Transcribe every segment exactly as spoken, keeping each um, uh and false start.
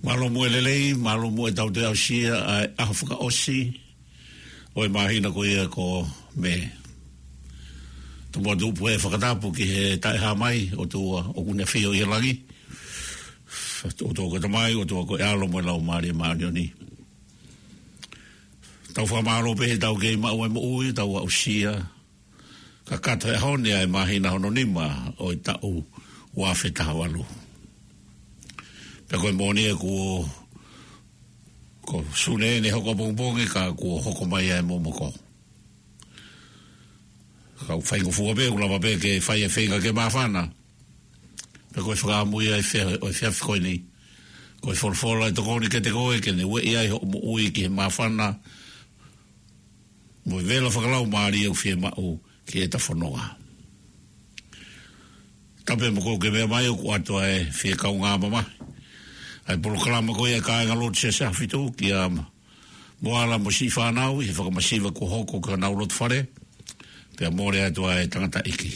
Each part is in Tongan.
Mālō muʻa e lelei, mālō muʻa e tau toe aʻusia ʻa e ʻaho fakaʻosi ʻo e māhina ko ia ko Mē. Tuku muʻa tuku pē e fakatapu ki he Taʻehāmai, ʻOtua ʻoku ne ʻafio ʻi he langi. ʻOtua ko e Tamai, ʻOtua ko e ʻAlo mo e Laumālie Māʻoniʻoni. Tau fakamālō pē he tau kei maʻu e moʻui, tau aʻusia kakato he ʻaho ni ʻa e māhina hono nima ʻo e taʻu ua afe taha valu. Pea ko e moʻoni ē kuo, ko Sune eni ʻe hoko ʻapongipongi ka kuo hoko mai ʻa e momoko. Ka ʻoku faingofua pē, ʻoku lava pē ke fai e feinga ke māfana. Pea ko e fakaʻamu ia ʻo e fea-, ʻo e efiafi ko eni. Ko e folofola ʻe tokoni kiate koe ke ne ueʻi ai hoʻo moʻui ki he māfana mo e vela fakalaumālie ʻoku fiemaʻu ki heʻeta fononga. Tapu mo koe ʻoku ke meʻa mai, ʻoku ʻoatu ʻa e fie kaungā mamahi ʻa e polokalama ko ia ʻa e kāinga lotu Siasi ʻAhofitu kia Moala mo siʻi fānau ʻi he fakamasiva kuo hoko ki honau loto fale. Pea mole atu ʻa e tangataʻeiki.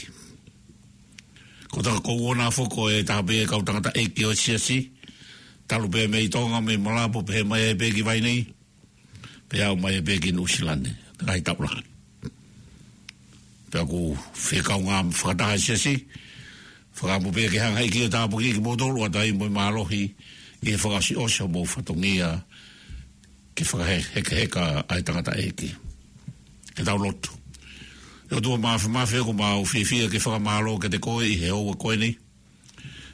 Ko e taha ko ʻUona foki ʻe taha pē e kau tangataʻeiki ʻo e Siasi. Talu pē mei Tonga, mei Malapo, pehē mai ai pē ki Vainī. Pea aʻu mai pē ki Nuʻusila ni, ngaahi taʻu lahi. Pea ʻoku fie kaungā fakataha e Siasi. Fakaʻamu pē ke hanga ʻe he ʻEiki ʻo tāpuakiʻi kimoutolu ʻo ʻatu ai mo e mālohi ʻi he fakaʻosiʻosi homou fatongia ke fakahekeheka ʻa e tangataʻeiki. Ke tau lotu. ʻE ʻOtua Māfimafi, ʻoku mau fiefia ke fakamālō kiate koe ʻi he houa ko eni,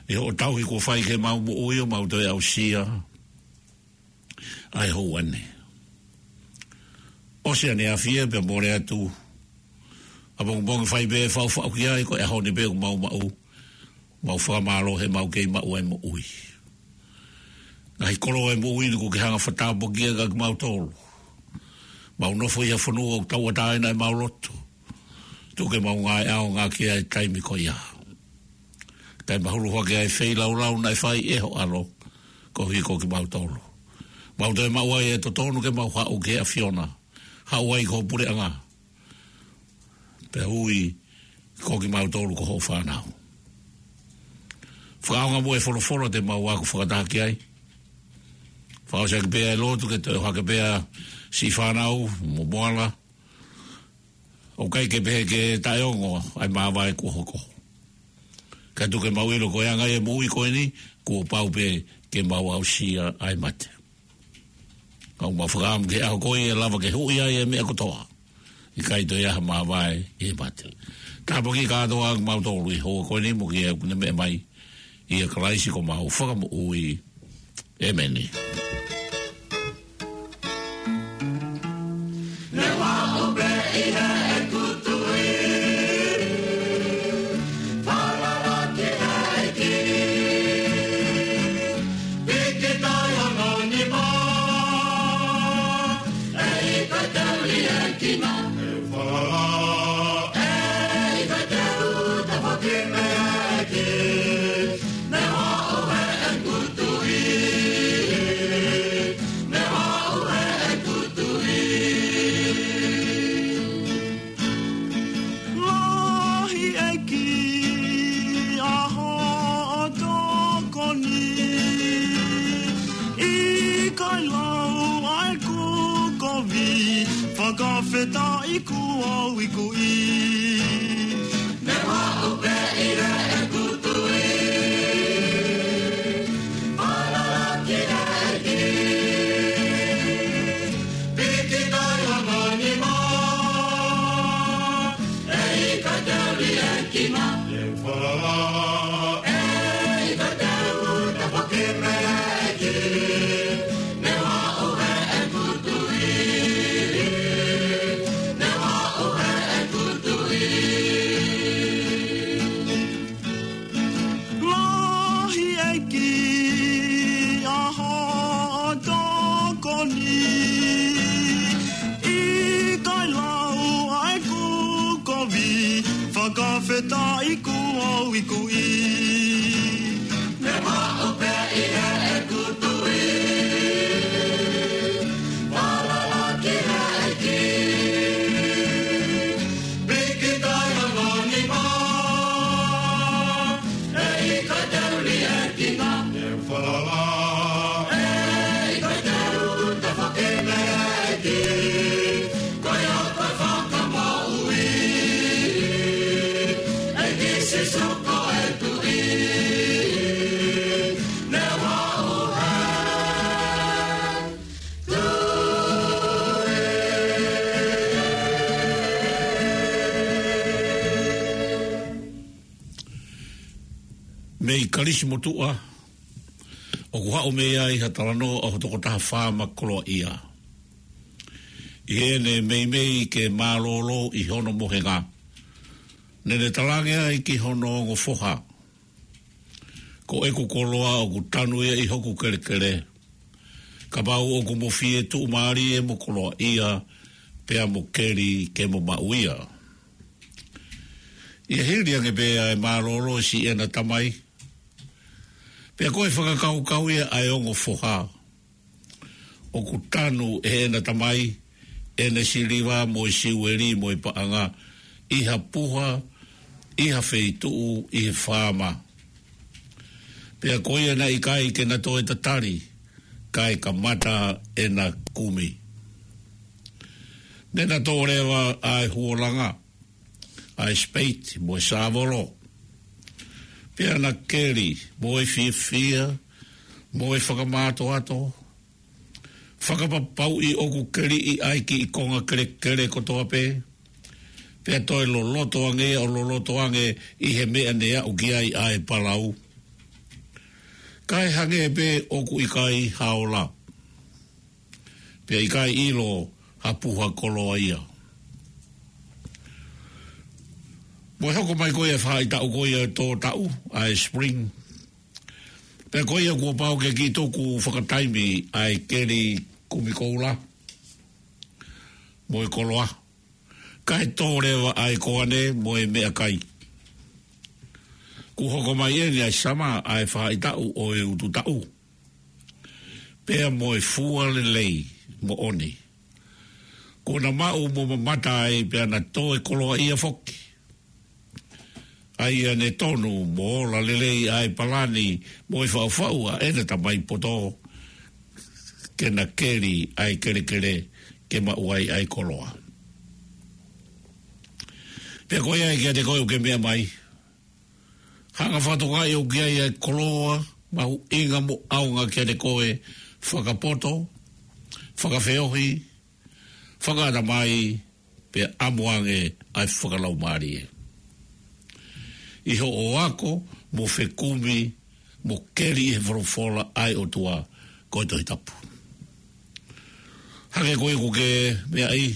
ʻi hoʻo tauhi kuo fai ki heʻemau moʻui ʻo mau toe aʻusia ʻa e houa ni. ʻOsi ʻaneafi ia pea mole atu ʻapongipongi, fai pē faʻufaʻu ki ai, ko e ʻaho ni pē ʻoku mau maʻu. Mau fakamālō he mau kei maʻu ʻa e moʻui. Ngaahi koloa ʻo e moʻui ni kuo ke hanga ʻo fakatāpuakiʻi kiate kimautolu. Mau nofo ʻi ha fonua ʻoku tauʻatāina ʻemau loto. Tuku ke mau ngāue ʻaonga ki ai he taimi ko ia. Kae mahulu hake ʻa e feilaulau naʻe fai ʻe ho ʻAlo koeʻuhi ko kimautolu. Mau toe maʻu ai e totonu ke mau haʻu ki he ʻAfiona. Haʻu ai ki ho puleʻanga. Pea ui ko kimautolu ko hoʻo fānau. Fakaʻaonga muʻa e folofola te mau ako fakataha ki ai. Fakaʻosi ʻaki pē ʻa e lotu ke toe ʻohake pē ʻa siʻi fānau mo Moala. ʻOku ʻikai ke pehē ke taʻeongo ʻa e māvae kuo hoko. Kae tuku ke mau ʻilo ko e anga ia e moʻui ko eni, kuo pau pē ke mau aʻusia ʻa e mate. Ka ʻoku mau fakaʻamu ki he ʻaho ko ia ʻe lava ke huʻi ai e meʻa kotoa. ʻIkai toe ʻi ai ha māvae ʻi he mate. Tāpuakiʻi kātoa kimautolu ʻi he houa ko eni mo kinautolu ʻoku ne meʻa mai. ʻIa Kalaisi ko homau Fakamoʻui. ʻĒmeni. Ne u aʻu pē ʻi heʻeku tui, falala ki he ʻEiki, piki tai hono nima, ʻe ʻikai te u liʻekina. Falala, ʻe ʻikai te u tafoki mei he ʻEiki. Ne u aʻu heʻeku tui, ne u aʻu heʻeku tui. Lahi ʻEiki ʻa hoʻo tokoni, ʻikai lau ʻa ʻeku kovi, fakafetaʻi kuo u ikuʻi. Ne u aʻu pē ʻi heʻeku tui, falala ki he ʻEiki, piki tai hono nima, ʻe ʻikai te u liʻekina. Falala, ʻe ʻikai te u tafoki mei he ʻEiki. Ne u aʻu heʻeku tui, ne u aʻu heʻeku tui. Lahi ʻEiki ʻa hoʻo tokoni, ʻikai lau ʻa ʻeku kovi, fakafetaʻi kuo u ikuʻi. Ne u aʻu pē ʻi heʻeku tui, falala Mei Kalisi motuʻa, ʻoku haʻu mei ai ha talanoa ʻo ha tokotaha faama koloaʻia. ʻI heʻene meimei ke mālōlō ʻi hono mohenga, naʻa ne talaange ai ki hono ongo foha, ko ʻeku koloa ʻoku tanu ia ʻi hoku kelekele. Kapau ʻoku mo fie tuʻumālie mo koloaʻia, pea mo keli ke mo maʻu ia. ʻI he hili ange pē ʻa e mālōlō siʻena tamai, pea ko e fakakaukau ia ʻa e ongo foha, ʻoku tanu ʻe heʻena tamai ʻene siliva mo e siueli mo e paʻanga ʻi ha puha, ʻi ha feituʻu, ʻi he faama. Pea ko ia naʻe ʻikai ke na toe tatali, kae kamata ʻena kumi. Ne na toʻo leva ʻa e huolanga, ʻa e spade mo e sāvolo. Pea na keli mo e fiefia mo e fakamātoato, fakapapauʻi ʻoku keliʻi ʻa e kiʻi konga kelekele kotoa pē, pea toe loloto ange ʻo loloto ange ʻi he meʻa ne aʻu ki ai ʻa e palau. Kae hangē pē ʻoku ʻikai ha ola, pea ʻikai ʻilo ha puha koloaʻia. Mo e hoko mai ko ia e faʻahitaʻu ko ia ʻo e tō taʻu, ʻa e spring. Pea ko ia kuo pau ke kiʻi tuku fakataimi ʻa e keli kumi koula mo e koloa, kae tō leva ʻa e koane mo e meʻakai. Kuo hoko mai eni ʻa e summer, ʻa e faʻahitaʻu ʻo e utu taʻu, pea mo e fua lelei moʻoni. Kuo na maʻu mo mamata ai pea na toe koloaʻia foki. ʻA ia ne tonu mo ola lelei ʻa e palani mo e faʻufaʻu ʻa ʻena tamai poto, ke na keli ʻa e kelekele ke maʻu ai ʻa e koloa. Pea ko ia ē kiate koe ʻoku ke meʻa mai, hanga fakatokangaʻi ʻoku ʻi ai ʻa e koloa mahuʻinga mo ʻaonga kiate koe, fakapoto, fakafeohi, fakaʻatamai, pea ʻamu ange ʻa e fakalaumālie. ʻI hoʻo ako mo fekumi mo keli ʻi he folofola ʻa e ʻOtua, ko e Tohi Tapu. Hangē ko ia ʻoku ke meaʻi,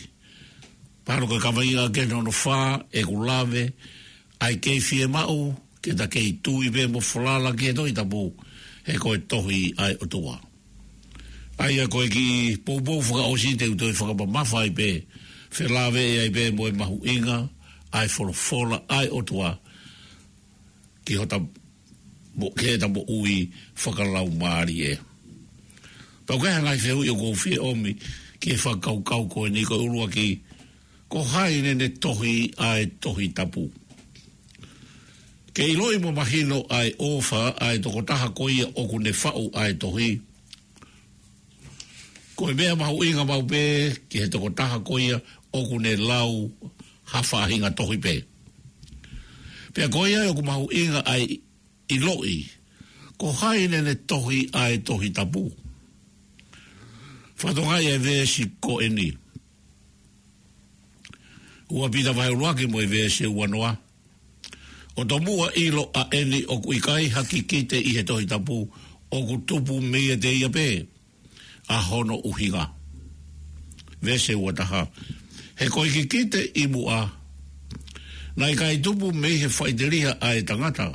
palo ke kaveinga ke nono fā ʻeku lave, ʻa e kei fiemaʻu ke ta kei tui pē mo falala ki he Tohi Tapu, he ko e tohi ʻa e ʻOtua. ʻA ia ko e kiʻi poupou fakaʻosi te u toe fakamamafa ai pē, felāveʻi ai pē mo e mahuʻinga ʻa e folofola ʻa e ʻOtua ki hota mo, ki heʻeta moʻui fakalaumālie. Pea ʻoku ʻi ai ha ngaahi fehuʻi ʻoku ou fie ʻomi ki he fakakaukau ko eni. Ko e ʻuluaki, ko hai naʻa ne tohi ʻa e Tohi Tapu? Ke ʻiloʻi mo mahino ʻa e ʻofa ʻa e tokotaha ko ia ʻoku ne faʻu ʻa e tohi, ko e meʻa mahuʻinga maʻu pē ki he tokotaha ko ia ʻoku ne lau ha faʻahinga tohi pē. Pea ko ia ʻoku mahuʻinga ʻa e ʻiloʻi ko hai naʻa ne tohi ʻa e Tohi Tapu. Fakatokangaʻi e veesi ko eni. Ua Pita vahe ʻuluaki mo e veesi ua noa. ʻO tomuʻa ʻilo ʻa eni, ʻoku ʻikai ha kikite ʻi he Tohi Tapu ʻoku tupu meiate ia pē ʻa hono ʻuhinga. Veesi ua taha. He ko e kikite ʻi muʻa naʻe ʻikai tupu mei he faʻiteliha ʻa e tangata,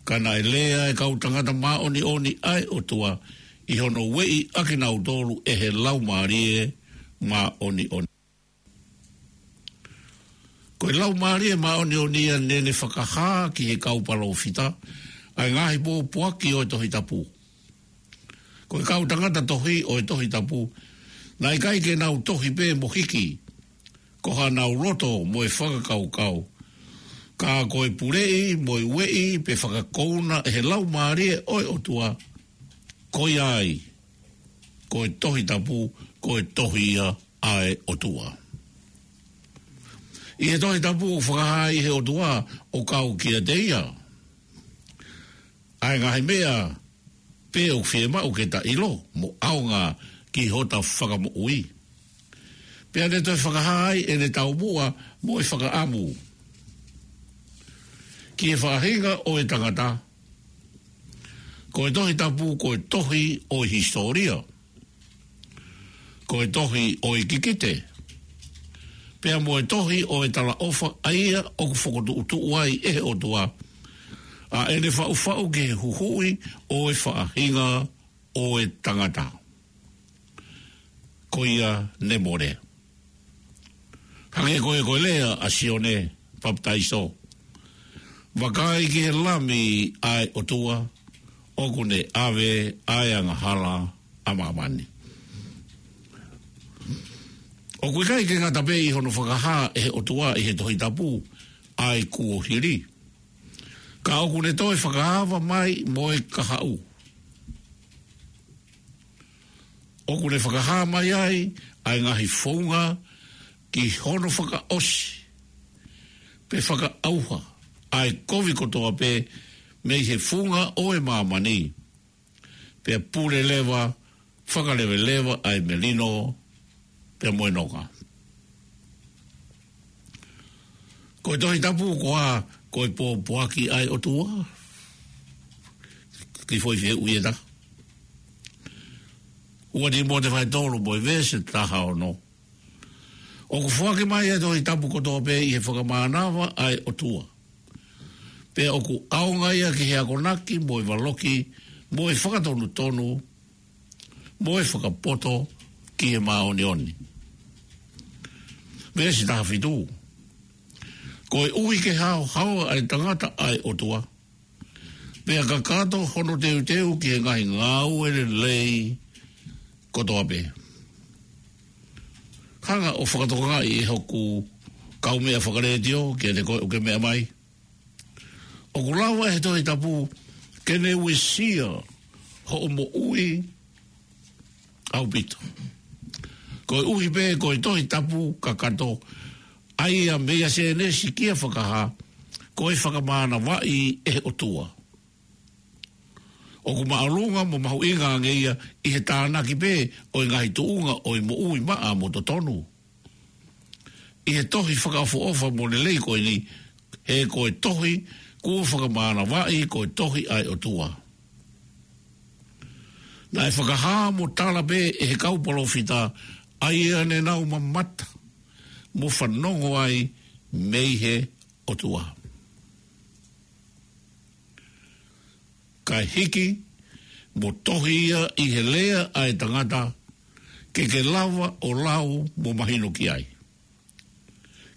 ka naʻe lea ʻa e kau tangata māʻoniʻoni ʻa e ʻOtua ʻi hono ueʻi ʻa kinautolu ʻe he Laumālie Māʻoniʻoni. Ko e Laumālie Māʻoniʻoni ia naʻa ne fakahā ki he kau palōfita ʻa e ngaahi pōpoaki ʻo e Tohi Tapu. Ko e kau tangata tohi ʻo e Tohi Tapu, naʻe ʻikai ke nau tohi pē mo hiki ko hanau loto mo e fakakaukau, ka ko e puleʻi mo e ueʻi pe fakakouna ʻe he Laumālie ʻo e ʻOtua, ko ia ai ko e Tohi Tapu, ko e tohi ia ʻa e ʻOtua. ʻI he Tohi Tapu ʻoku fakahā ai ʻe he ʻOtua ʻo kau kiate ia ʻa e ngaahi meʻa pē ʻoku fiemaʻu ke ta ʻilo mo ʻaonga ki hota fakamoʻui. Pea ne toe fakahā ai ʻene taumuʻa mo e fakaʻamu ki he faʻahinga ʻo e tangata. Ko e Tohi Tapu ko e tohi ʻo e hisitōlia, ko e tohi ʻo e kikite, pea mo e tohi ʻo e talaʻofa, ʻa ia ʻoku fokotuʻutuʻu ai ʻe he ʻOtua ʻa ʻene faʻufaʻu ki he huhuʻi ʻo e faʻahinga ʻo e tangata. Ko ia ne mole. Hangē ko e, ko e lea ʻa Sione Papitaiso: Vakai ki he Lami ʻa e ʻOtua, ʻoku ne ʻave ʻa e angahala ʻa māmani. ʻOku ʻikai ke ngata pē ʻi hono fakahā ʻe he ʻOtua ʻi he Tohi Tapu ʻa e kuohili, ka ʻoku ne toe fakaava mai mo e kahaʻu. ʻOku ne fakahā mai ai ʻa e ngaahi founga ki hono fakaʻosi pe fakaʻauha ʻa e kovi kotoa pē mei he funga ʻo e māmani, pea pule leva, fakaleveleva ʻa e melino pea mo e nonga. Ko e Tohi Tapu ko ā? Ko e pōpoaki ʻa e ʻOtua. Kiʻi foʻi fehuʻi ʻe taha. Ua Tīmote vahe tolu mo e veesi taha ono. ʻOku foaki mai ʻa e Tohi Tapu kotoa pē ʻi he fakamānava ʻa e ʻOtua, pea ʻoku ʻaonga ia ki he akonaki mo e valoki mo e fakatonutonu mo e fakapoto ki he māʻoniʻoni. Veesi taha fitu. Koeʻuhi ke haohaoa ʻa e tangata ʻa e ʻOtua, pea kakato hono teuteu ki he ngaahi ngāue lelei kotoa pē. Hanga ʻo fakatokangaʻi ʻe hoku kaumeʻa fakalētio kiate koe ʻoku ke meʻa mai, ʻoku lava ʻe he Tohi Tapu ke ne uesia hoʻo moʻui ʻaupito. Koeʻuhi pē ko e Tohi Tapu kakato, ʻa ia meia Sēnesi kia Fakahā, ko e fakamānavaʻi ʻe he ʻOtua. ʻOku māʻolunga mo mahuʻinga ange ia ʻi he tānaki pē ʻo e ngaahi tuʻunga ʻo e moʻui maʻa mo totonu ʻi he tohi fakaʻofoʻofa mo lelei ko eni, he ko e tohi kuo fakamānavaʻi ko e Tohi ʻa e ʻOtua. Naʻe fakahā mo tala pē ʻe he kau palōfita ʻa ia ne nau mamata mo fanongo ai mei he ʻOtua, kae hiki mo tohi ia ʻi he lea ʻa e tangata, ke ke lava ʻo lau mo mahino ki ai,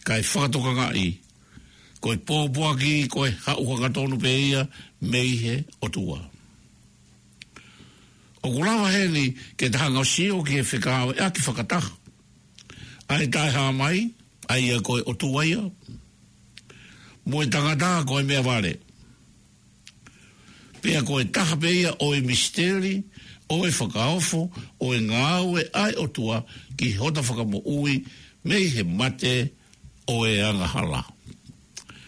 kae fakatokangaʻi ko e pōpoaki ko e haʻu hangatonu pē ia mei he ʻOtua. ʻOku lava heni ke ta hanga ʻo sio ki he fekauʻaki fakataha ʻa e Taʻehāmai, ʻa ia ko e ʻOtua ia, mo e tangata ko e meʻavale. Pea ko e taha pē ia ʻo e misiteli ʻo e fakaofo ʻo e ngāue ʻa e ʻOtua ki hota fakamoʻui mei he mate ʻo e angahala.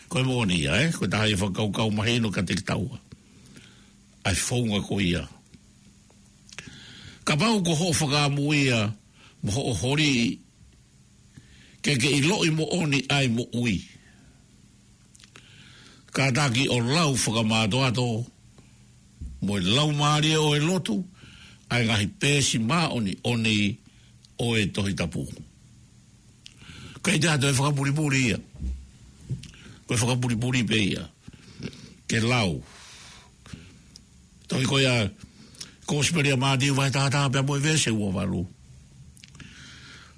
Ko e moʻoni ia, ē? Ko e taha ia e fakakaukau mahino kiate kitaua, ʻa e founga ko ia. Kapau ko hoʻo fakaʻamu ia mo hoʻo holi ke ke ʻiloʻi moʻoni ʻa e moʻui, kātaki ʻo lau fakamātoato mo e laumālie ʻo e lotu ʻa e ngaahi peesi māʻoniʻoni ʻo e Tohi Tapu. ʻIkai te ha toe fakapulipuli ia. Ko e fakapulipuli pē ia ke lau. Tohi ko ia, Kosipeli ʻa Mātiu vahe taha taha pea mo e veesi ua valu: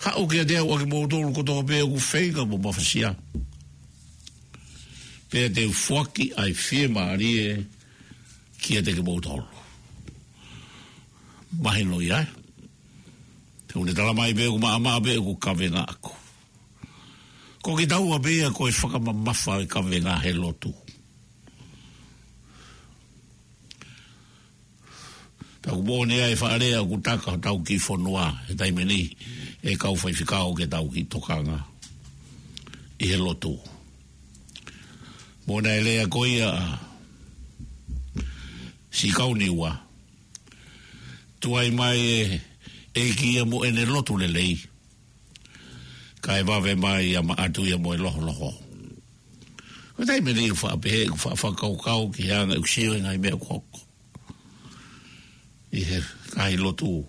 Haʻu kiate au ʻa kimoutolu kotoa pē ʻoku feinga mo mafasia, pea te u foaki ʻa e fiemālie kiate kimoutolu. Mahino ia, ē? Te u ne tala mai pē ʻoku maʻamaʻa pē ʻoku kavenga ʻaku. Ko kitaua pē ia ko e fakamamafa e kavenga he lotu. Pea ʻoku moʻoni ʻa e faʻa lea ʻoku taka hotau kiʻi fonua he taimi ni ʻe he kau faifekau ki heʻetau kiʻi tokanga. ʻi he lotu. Mo naʻe lea ko ia ʻa Sikauniua, tuai mai e ʻEiki ia mo ʻene lotu lelei, kae vave mai ʻa Maʻatu ia mo e loholoho. Ko e taimi ʻeni ʻoku faʻa pehē, ʻoku faʻa fakakaukau ki he anga ʻeku sio e ngaahi meʻa ʻoku hoko ʻi he ngaahi lotu,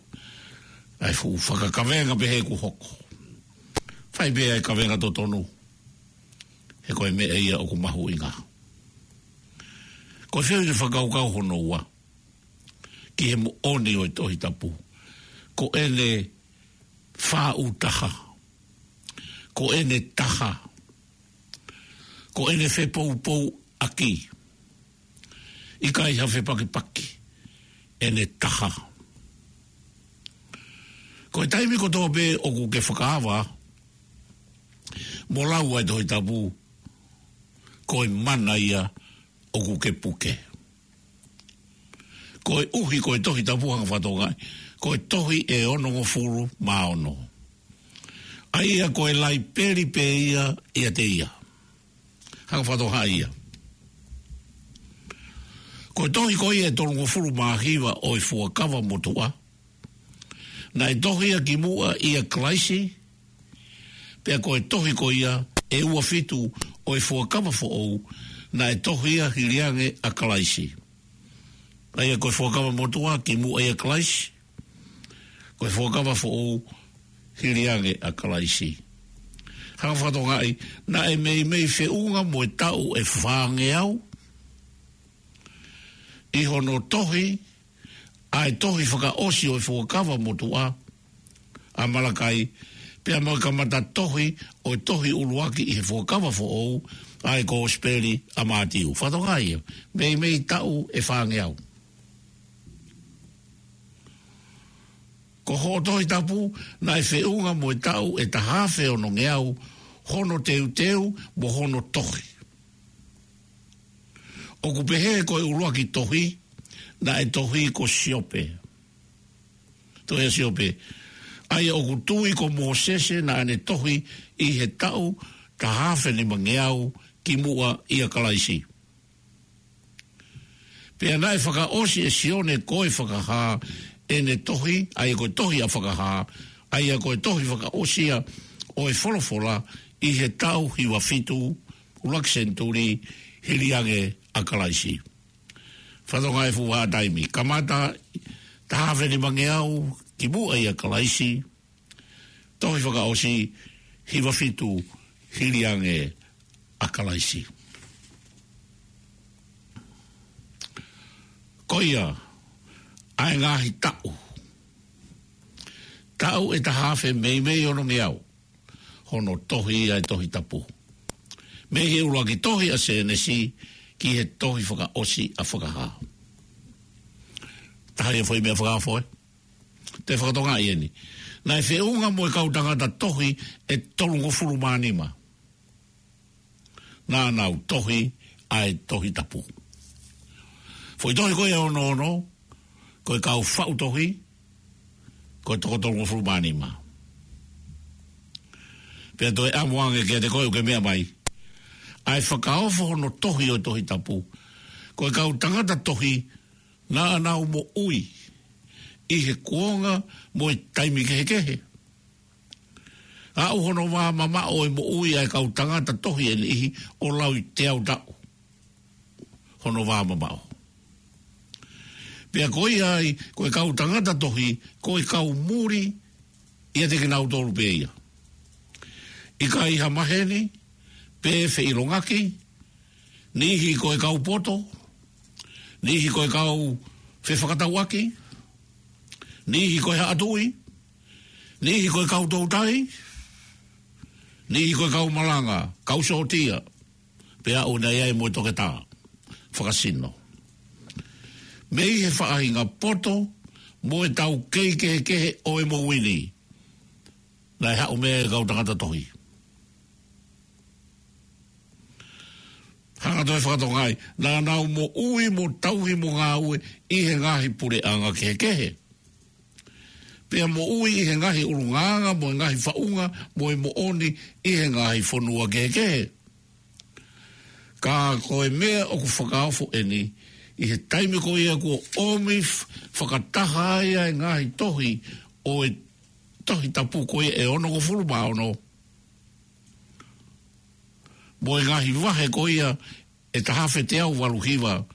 ʻa e fuʻu fakakavenga pehē ʻoku hoko. Fai pē ʻa e kavenga totonu, he ko e meʻa ia ʻoku mahuʻinga. Ko e fehuʻi ke fakakaukau hono ua ki he moʻoni ʻo e Tohi Tapu. Ko ʻene faʻu taha, ko ʻene taha, ko ʻene fepoupouaki, ʻikai ha fepakipaki, ʻene taha. Ko e taimi kotoa pē ʻoku ke fakaava mo lau ʻa e Tohi Tapu, ko e mana ia ʻoku ke puke. Koeʻuhi ko e Tohi Tapu, hanga fakatokangaʻi, ko e tohi ʻe onongofulu mā ono. ʻA ia ko e laipeli pē ia ʻiate ia. Hanga fakatokangaʻi ia. Ko e tohi ko ia ʻe tolungofulu mā hiva ʻo e Fuakava Motuʻa, naʻe tohi ia kimuʻa ʻia Kalaisi, pea ko e tohi ko ia ʻe ua fitu ʻo e Fuakava Foʻou, naʻe tohi ia hili ange ʻa Kalaisi. ʻA ia ko e Fuakava Motuʻa kimuʻa ʻia Kalaisi, ko e Fuakava Foʻou hili ange ʻa Kalaisi. Hanga fakatokangaʻi, naʻe meimei feʻunga mo e taʻu ʻe fāngeau ʻi hono tohi ʻa e tohi fakaʻosi ʻo e Fuakava Motuʻa, ʻa Malakai, pea mo e kamata tohi ʻo e tohi ʻuluaki ʻi he Fuakava Foʻou, ʻa e Kosipeli ʻa Mātiu. Fakatokangaʻi ia, meimei taʻu ʻe fāngeau. Ko hoʻo Tohi Tapu, naʻe feʻunga mo e taʻu ʻe taha afe onongeau hono teuteu mo hono tohi. ʻOku pehē ko e ʻuluaki tohi, naʻe tohi ko Siope. Tohi ʻa Siope. ʻA ia ʻoku tui ko Mōsese naʻa ne tohi ʻi he taʻu taha afe nimangeau kimuʻa ʻia Kalaisi. Pea naʻe fakaʻosi ʻe Sione ko e Fakahā ʻene tohi, ʻa ia ko e tohi ʻa Fakahā, ʻa ia ko e tohi fakaʻosi ia ʻo e folofola ʻi he taʻu hiva fitu, ʻuluaki senituli, hili ange ʻa Kalaisi. Fakatokangaʻi e fuʻu vahaʻa taimi. Kamata taha afe nimangeau kimuʻa ʻia Kalaisi, tohi fakaʻosi hiva fitu hili ange ʻa Kalaisi. Ko ia, ʻa e ngaahi taʻu. Taʻu ʻe taha afe meimei onongeau hono tohi ʻa e Tohi Tapu. Mei he ʻuluaki tohi ʻa Sēnesi ki he tohi fakaʻosi ʻa Fakahā. Taha ia foʻi meʻa fakaofo, ē? Te fakatokangaʻi eni. Naʻe feʻunga mo e kau tangata tohi ʻe tolungofulu mā nima naʻa nau tohi ʻa e Tohi Tapu. Foʻi tohi ko ia ʻe ono ono, ko e kau faʻu tohi, ko e toko tolungofulu mā nima. Pea toe ʻamu ange kiate koe ʻoku ke meʻa mai, ʻa e fakaofo hono tohi ʻo e Tohi Tapu, ko e kau tangata tohi naʻa nau moʻui ʻi he kuonga mo e taimi kehekehe. Aʻu hono vā mamaʻo e moʻui ʻa e kau tangata tohi ʻe niʻihi ʻo lauteau taʻu hono vā mamaʻo. Pea ko ia ai, ko e kau tangata tohi, ko e kau muli ʻiate kinautolu pē ia. ʻIkai ha maheni pe feʻilongaki, niʻihi ko e kau poto, niʻihi ko e kau fefakatauʻaki, niʻihi ko e haʻa tuʻi, niʻihi ko e kau toutai, niʻihi ko e kau malanga, kau sōtia, pea ʻoku nau ʻi ai mo e toketā fakasino. Mei he faʻahinga poto mo e taukei kehekehe ʻo e moʻui ni, naʻe haʻu mei ai e kau tangata tohi. Hanga toe fakatokangaʻi, naʻa nau moʻui mo tauhi mo ngāue ʻi he ngaahi puleʻanga kehekehe. pea moʻui ʻi he ngaahi ʻulungaanga mo e ngaahi faʻunga mo e moʻoni ʻi he ngaahi fonua kehekehe. Ka ko e meʻa ʻoku fakaofo eni, ʻi he taimi ko ia kuo ʻomi f-, fakataha ai ʻa e ngaahi tohi ʻo e Tohi Tapu ko ia ʻe onongofulu mā ono, mo e ngaahi vahe ko ia ʻe taha afe teau valu hiva,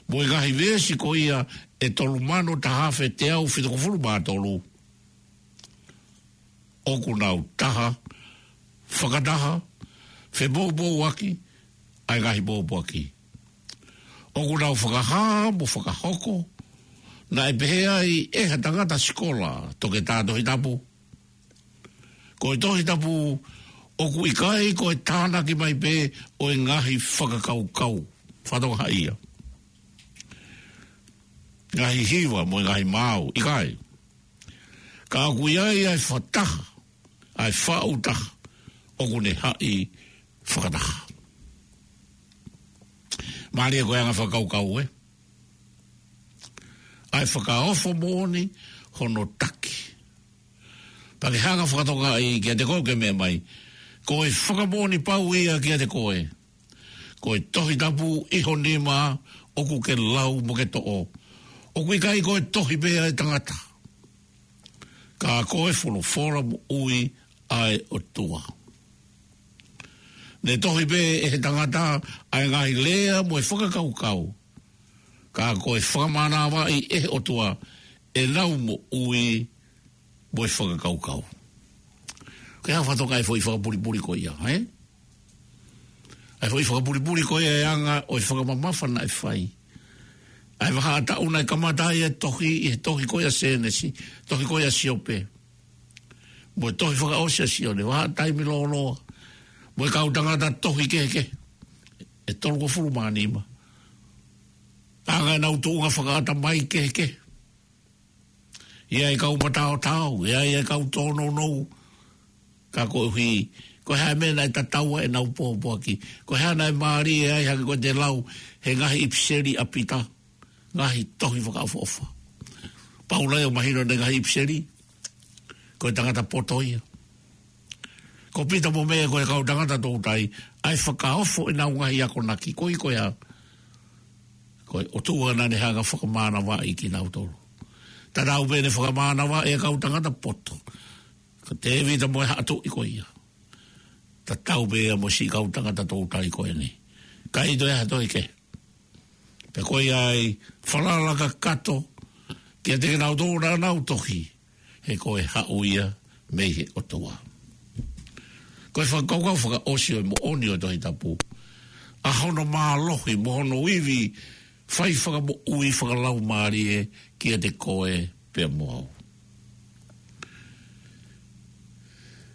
mo e ngaahi veesi ko ia ʻe tolu mano taha afe teau fitungofulu mā tolu. ʻOku nau taha, fakataha, fepoupouaki ʻa e ngaahi pōpoaki. ʻOku nau fakahā mo fakahoko, naʻe pehē ai ʻe ha tangata sikola, toketā Tohi Tapu, ko e Tohi Tapu ʻoku ʻikai ko e tānaki mai pē ʻo e ngaahi fakakaukau, fatongia ia, ngaahi hiva mo e ngaahi maau, ʻikai. Ka ʻoku ʻi ai ʻa e fakataha, ʻa e faʻu taha, ʻoku ne haʻi fakataha. Mālie ko e anga fakakaukau, ē? ʻA e fakaofo moʻoni hono taki. Pea ke hanga fakatokangaʻi kiate koe ʻoku ke meʻa mai, ko e fakamoʻoni pau ia kiate koe. Ko e Tohi Tapu ʻi ho nima ʻoku ke lau mo ke toʻo. ʻOku ʻikai ko e tohi pē ʻa e tangata, ka ko e folofola moʻui ʻa e ʻOtua. Ne tohi pē ʻe he tangata ʻa e ngaahi lea mo e fakakaukau, ka ko e fakamānavaʻi ʻe he ʻOtua ʻenau moʻui mo e fakakaukau. Ke hanga fakatokangaʻi e foʻi fakapulipuli ko ia, ē? ʻA e foʻi fakapulipuli ko ia ʻa e anga ʻo e fakamamafa naʻe fai. ʻA e vahaʻa taʻu naʻe kamata ai e tohi, ʻi he tohi ko ia ʻa Sēnesi, tohi ko ia ʻa Siope, mo e tohi fakaʻosi ʻa Sione, vahaʻa taimi lōloa, mo e kau tangata tohi kehekehe ʻe tolungofulu mā nima. Anga ʻenau tuʻunga fakaʻatamai kehekehe. ʻI ai e kau mataotao, ʻi ai e kau tōnounou, ka koeʻuhi, ko e hā e meʻa naʻe tatau ai ʻenau pōpoaki, ko e hā naʻe mālie ai, hangē ko ʻete lau he ngaahi ʻipiseli ʻa Pita, ngaahi tohi fakaʻofoʻofa. Paula ia ʻoku mahino ʻene ngaahi ʻipiseli, ko e tangata poto ia. Ko Pita mo Mele ko e kau tangata toutai, ʻa e fakaofo ʻenau ngaahi akonaki, ko e ʻuhinga ia, ko e ʻOtua naʻa ne hanga fakamānavaʻi kinautolu. Tatau pē ʻene fakamānavaʻi e kau tangata poto, ko Tēvita mo e haʻa tuʻi ko ia. Tatau pē ia mo e siʻi kau tangata toutai ko eni. ʻIkai toe ʻi ai ha tohi kehe. Pea ko ia ai falala kakato kiate kinautolu naʻa nau tohi, he ko e haʻu ia mei he ʻOtua. Ko e fakakaukau fakaʻosi ʻo e moʻoni ʻo e Tohi Tapu, ʻa hono mālohi mo hono ivi fai fakamoʻui fakalaumālie kiate koe pea mo au.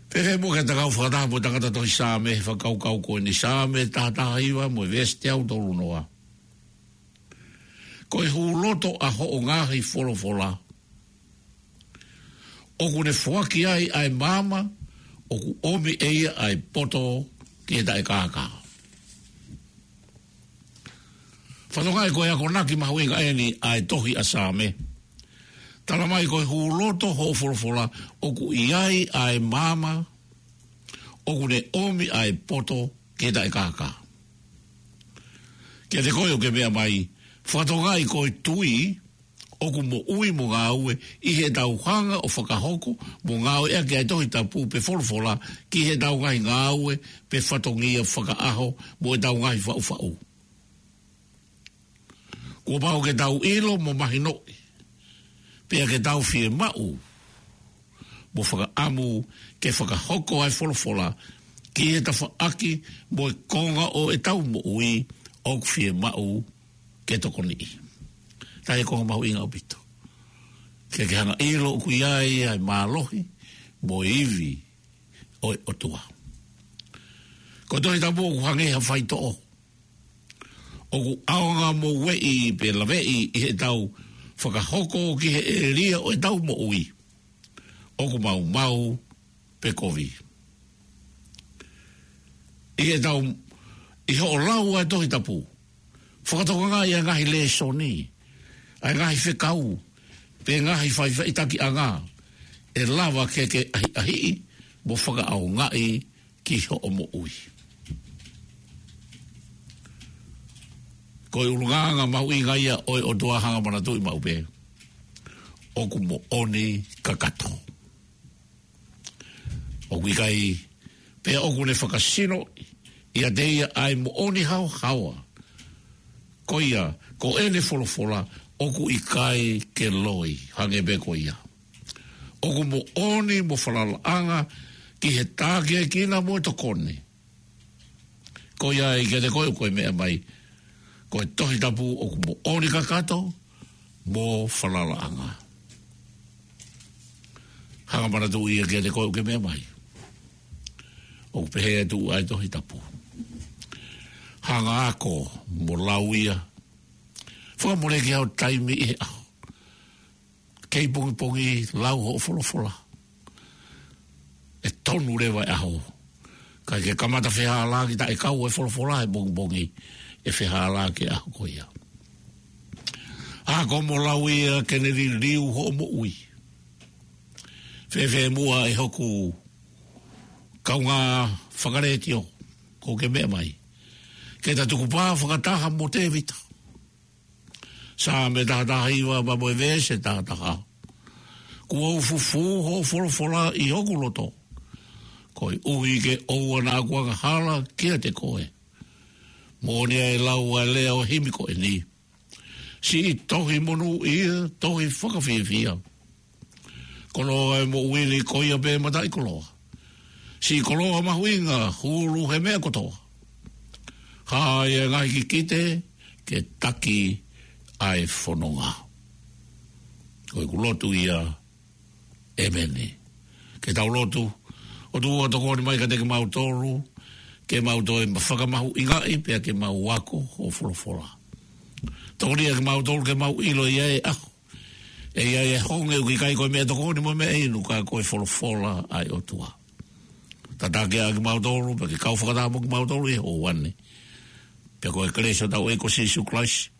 Pea fēfē muʻa ke ta kau fakataha mo e tangata tohi Saame he fakakaukau ko eni? Saame taha taha hiva mo e veesi teau tolu noa. Ko e hūloto ʻa hoʻo ngaahi folofola, ʻoku ne foaki ai ʻa e maama, ʻoku ʻomi ʻe ia ʻa e poto ki he taʻekākā. Fakatokangaʻi ko e akonaki mahuʻinga eni ʻa e tohi ʻa Saame. Tala mai ko e hūloto hoʻo folofola, ʻoku ʻi ai ʻa e maama, ʻoku ne ʻomi ʻa e poto ki he taʻekākā. Kiate koe ʻoku ke meʻa mai, fakatokangaʻi ko e tui, ʻoku moʻui mo ngāue ʻi heʻetau hanga ʻo fakahoko mo ngāueʻaki ʻa e Tohi Tapu pe folofola ki heʻetau ngaahi ngāue pe fatongia fakaʻaho mo ʻetau ngaahi faʻufaʻu. Kuo pau ke tau ʻilo mo mahinoʻi, pea ke tau fiemaʻu mo fakaʻamu ke fakahoko ʻa e folofola ki he tafaʻaki mo e konga ʻo ʻetau moʻui ʻoku fiemaʻu ke tokoniʻi. Tahi e konga mahuʻinga ʻaupito. Ke ke hanga ʻilo ʻoku ʻi ai ʻa e mālohi mo e ivi ʻo e ʻOtua. Ko e Tohi Tapu ʻoku hangē ha faitoʻo. ʻOku ʻaonga mo ueʻi pe laveʻi ʻi heʻetau fakahoko ki he ʻēlia ʻo ʻetau moʻui ʻoku maumau pe kovi. ʻI heʻetau, ʻi hoʻo lau ʻa e Tohi Tapu, fakatokangaʻi ʻa e ngaahi lēsoni, ʻa e ngaahi fekau, pe ngaahi faʻifaʻitakiʻanga ʻe lava ke ke ʻahiʻahiʻi mo fakaʻaongaʻi ki hoʻo moʻui. Ko e ʻulungaanga mahuʻinga ia ʻo e ʻOtua, hanga ʻo manatuʻi maʻu pē, ʻoku moʻoni kakato. ʻOku ʻikai, pea ʻoku ne fakasino ʻiate ia ʻa e moʻoni haohaoa. Ko ia, ko ʻene folofola ʻoku ʻikai ke loi, hangē pē ko ia. ʻOku moʻoni mo falalaʻanga ki he tākiekina mo e tokoni. Ko ia ai kiate koe ʻoku ke meʻa mai, ko e Tohi Tapu ʻoku moʻoni kakato mo falalaʻanga. Hanga ʻo manatuʻi ia kiate koe ʻoku ke meʻa mai. ʻOku pehē atu ʻa e Tohi Tapu. Hanga ʻo ako mo lau ia. Fakamoleki hao taimi ʻi he ʻaho. Kei pongipongi lau hoʻo folofola. ʻE tonu leva e ʻaho. Ka ke kamata fehālaaki taʻe kau e folofola he pongipongi, ʻe fehālaaki e ʻaho ko ia. Ako mo lau ia ke ne liliu hoʻo moʻui. Fēfē muʻa ʻe hoku kaungā fakalētio ʻoku ke meʻa mai, ke ta tukupā fakataha mo Tēvita. Saame taha taha hiva pea mo e veesi taha taha. Kuo u fufū hoʻo folofola ʻi hoku loto, koeʻuhi ke ʻoua naʻa ku angahala kiate koe. Moʻoni ʻa e lau ʻa e lea ʻo e himi ko eni. Siʻi tohi monūʻia, tohi fakafiefia. Koloa e moʻui ni ko ia pē mataʻikoloa. Siʻi koloa mahuʻinga hulu he meʻa kotoa. Hā ia e ngaahi kikite ke taki ʻa e fononga. Ko ʻeku lotu ia, ʻēmeni. Ke tau lotu. ʻOtua, tokoni mai kiate kimautolu, ke mau toe fakamahuʻingaʻi pea ke mau ako hoʻo folofola. Tokoni kimautolu ke mau ʻilo ia e ʻaho. ʻE ʻi ai e honge ʻoku ʻikai ko e meʻatokoni mo e meʻainu ka ko e folofola ʻa e ʻOtua. Tataki ʻa kimautolu, pea ke kau fakataha mo kimautolu ʻi he houa ni. Pea ko e kelesi ʻa hotau ʻEiki ko Sīsū Kalaisi,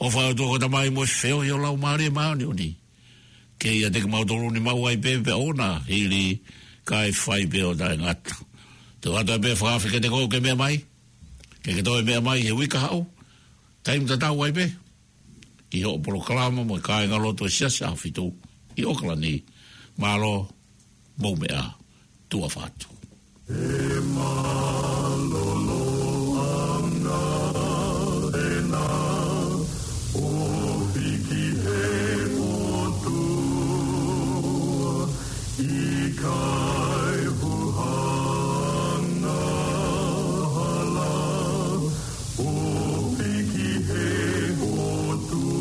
ʻofa ʻa e ʻOtua ko e Tamai mo e feohi ʻo e Laumālie Māʻoniʻoni, ke ʻiate kimautolu ni maʻu ai pē pea ʻoua naʻa hili kae fai pē ʻo taʻengata. Te u ʻoatu ai pē e fakaafe kiate koe ʻoku ke meʻa mai, ke ke toe meʻa mai he uike kahaʻu, taimi tatau ai pē, ki hoʻo polokalama mo e kāingalotu ʻo e Siasi ʻAhofitu ʻi ʻOkalani. Mālō, mou meʻa, tuʻa ʻofa atu. ʻE mālōlō ʻa e ngaahi ʻena ʻo hiki he ʻOtua, ʻikai huhanga hala ʻo hiki he ʻOtua.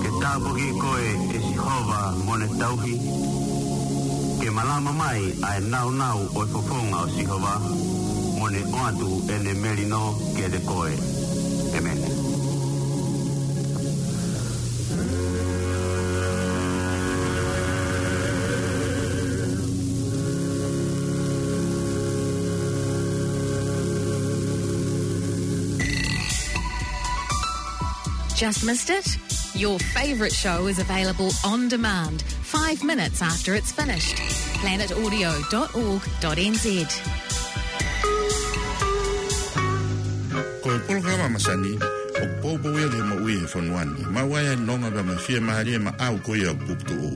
Ke tāpuaki koe ʻe Sihova mo ne tauhi. Ke malama mai ʻa e nāunau ʻo e fofonga ʻo Sihova, mo ne ʻoatu ʻene melino kiate koe. ʻĒmeni. Just missed it? Your favourite show is available on demand, five minutes after it's finished. planet audio dot org dot N Z. Ko e polokalama masani ʻoku poupou ia ki he moʻui he fonua ni. Maʻu ai ʻa e nonga pea mo e fiemālie maʻau ko ia ʻoku puputuʻu.